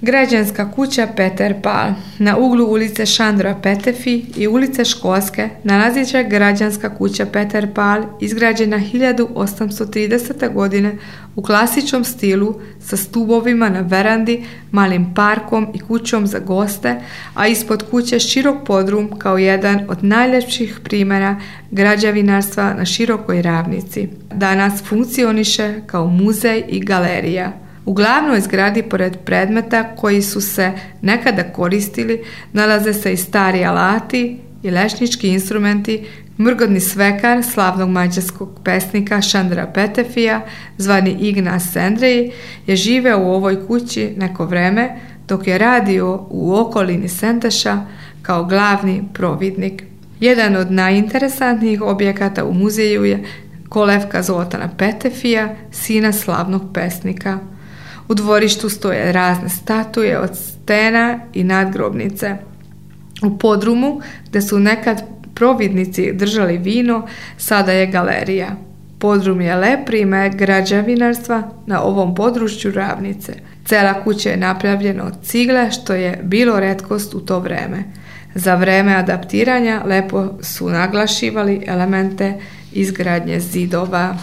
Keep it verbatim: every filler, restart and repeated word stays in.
Građanska kuća Peter Pal. Na uglu ulice Šandora Petefi i ulice Školske nalazi se građanska kuća Peter Pal, izgrađena hiljadu osamsto tridesete. godine u klasičnom stilu sa stubovima na verandi, malim parkom i kućom za goste, a ispod kuće širok podrum kao jedan od najljepših primjera građevinarstva na širokoj ravnici. Danas funkcioniše kao muzej i galerija. U glavnoj zgradi, pored predmeta koji su se nekada koristili, nalaze se i stari alati i lešnički instrumenti. Mrgodni svekar slavnog mađarskog pesnika Šandora Petefija, zvani Ignas Andrej, je živeo u ovoj kući neko vreme dok je radio u okolini Senteša kao glavni providnik. Jedan od najinteresantnijih objekata u muzeju je kolevka Zoltana Petefija, sina slavnog pesnika. U dvorištu stoje razne statue od stena i nadgrobnice. U podrumu, gde su nekad providnici držali vino, sada je galerija. Podrum je lep primjer građevinarstva na ovom području ravnice. Cela kuća je napravljena od cigle, što je bilo retkost u to vreme. Za vreme adaptiranja lepo su naglašivali elemente izgradnje zidova.